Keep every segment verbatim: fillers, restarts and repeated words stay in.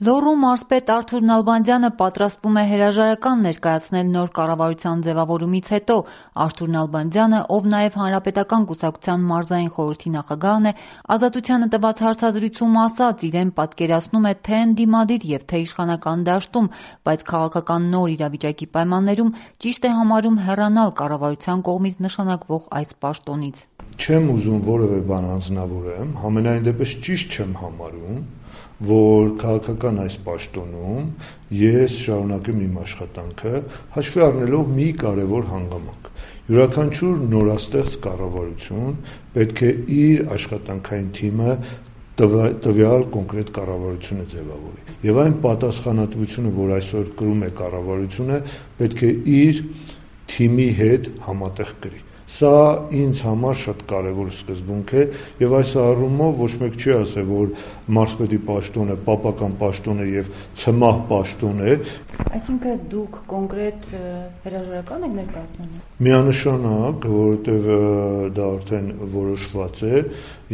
Լոռու մարզպետ Արթուր Նալբանդյանը պատրաստվում է հրաժարական ներկայացնել նոր կառավարության ձևավորումից հետո։ Արթուր Նալբանդյանը, ով նաև Հանրապետական կուսակցության մարզային խորհրդի նախագահն է, Ազատությանը տված հարցազրույցում ասաց, իրեն պատկերացնում է թե ընդդիմադիր և թե իշխանական դաշտում, բայց քաղաքական նոր իրավիճակի պայմաններում ճիշտ է համարում հեռանալ կառավարության կողմից նշանակվող այս պաշտոնից։ Չեմ ուզում որևէ բան անձնավորեմ, համենայն դեպս ճիշտ չեմ համարում, որ քաղաքական այս պաշտոնում ես շարունակեմ իմ աշխատանքը, հաշվի առնելով մի կարևոր հանգամանք։ Յուրաքանչյուր նորաստեղծ կառավարություն պետք է իր աշխատանքային թիմը տվյալ կոնկրետ կառավարությունը ձևավորի։ Եվ այն պատասխանատվությունը, որ այսօր կրում է կառավարությունը, պետք է իր թիմի հետ համատեղ կրի։ Սա ինձ համար շատ կարևոր սկզբունք է եւ այս առումով ոչ մեկ չի ասել, որ մարզպետի պաշտոնը պապական պաշտոն է եւ ցմահ պաշտոն է։ Այսինքն դուք կոնկրետ հրաժարական եք ներկայացնում։ Միանշանակ, որովհետեւ դա արդեն որոշված է,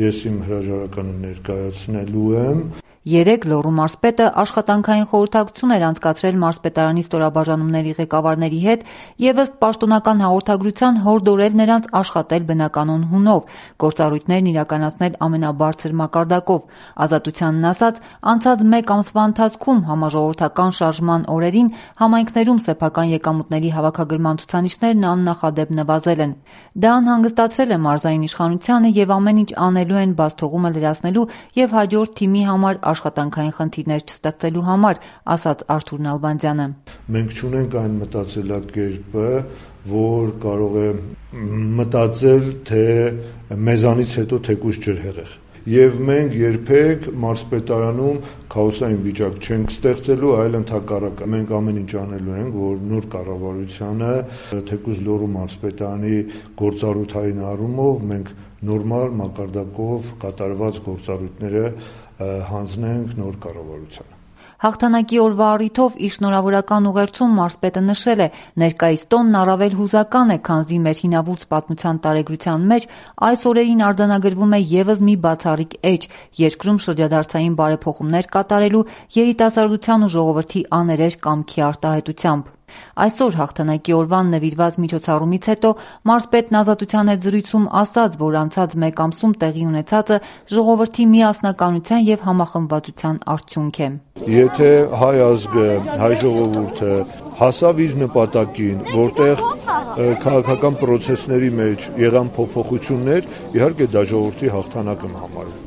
ես իմ հրաժարականը ներկայացնելու եմ։ Երեկ Լոռու մարզպետը աշխատանքային խորհրդակցություն էր անցկացրել մարզպետարանի ստորաբաժանումների ղեկավարների հետ եւ ըստ պաշտոնական հաղորդագրության հորդորել նրանց աշխատել բնականոն հունով, գործառույթներն իրականացնել ամենաբարձր մակարդակով։ Ազատությանն ասած, անցած մեկ ամսվա ընթացքում համաժողովրդական շարժման օրերին համայնքներում սեփական եկամուտների հավաքագրման ցուցանիշներն աննախադեպ նվազել են։ Դա անհանգստացրել է մարզային իշխանությանը եւ ամեն ինչ անելու են բացթողումը լրացնելու եւ հաջորդ թիմի համար աշխատանքային խնդիրներ չստեղծելու համար, ասաց Արթուր Նալբանդյանը։ Մենք չունենք այն մտածելակերպը, որ կարող է մտածել, թե մեզանից հետո թեկուզ ջրհեղեղ։ Եվ մենք երբեք մարզպետարանում քաոսային վիճակ չենք ստեղծելու, այլ ընդհակառակը մենք ամեն ինչ անելու ենք, որ նոր կառավարությանը, թեկուզ Լոռու մարզպետարանի գործառույթային առումով մենք նորմալ մակարդակով կատարված գործառույթները հանձնենք նոր կառավարությանը։ Հաղթանակի օրվա առիթով իր շնորհավորական ուղերձում մարզպետը նշել է, ներկայիս տոնն առավել հուզական է, քանզի մեր հինավուրց պատմության տարեգրության մեջ այս օրերին արձանագրվում է եւս մի բացառիկ էջ՝ երկրում շրջադարձային բարեփոխումներ կատարելու, երիտասարդության ու ժողովրդի աներեջ կամքի արտահայտությամբ։ Այսօր հաղթանակի օրվան նվիրված միջոցառումից հետո մարզպետն Ազատության հետ զրույցում ասաց, որ անցած մեկ ամսում տեղի ունեցածը ժողովրդի միասնականության եւ համախմբվածության արդյունք է։ Եթե հայ ազգը, հայ ժողովուրդը հասավ իր նպատակին, որտեղ քաղաքական պրոցեսների մեջ եղան փոփոխություններ, իհարկե դա ժողովրդի հաղթանակ եմ համարում։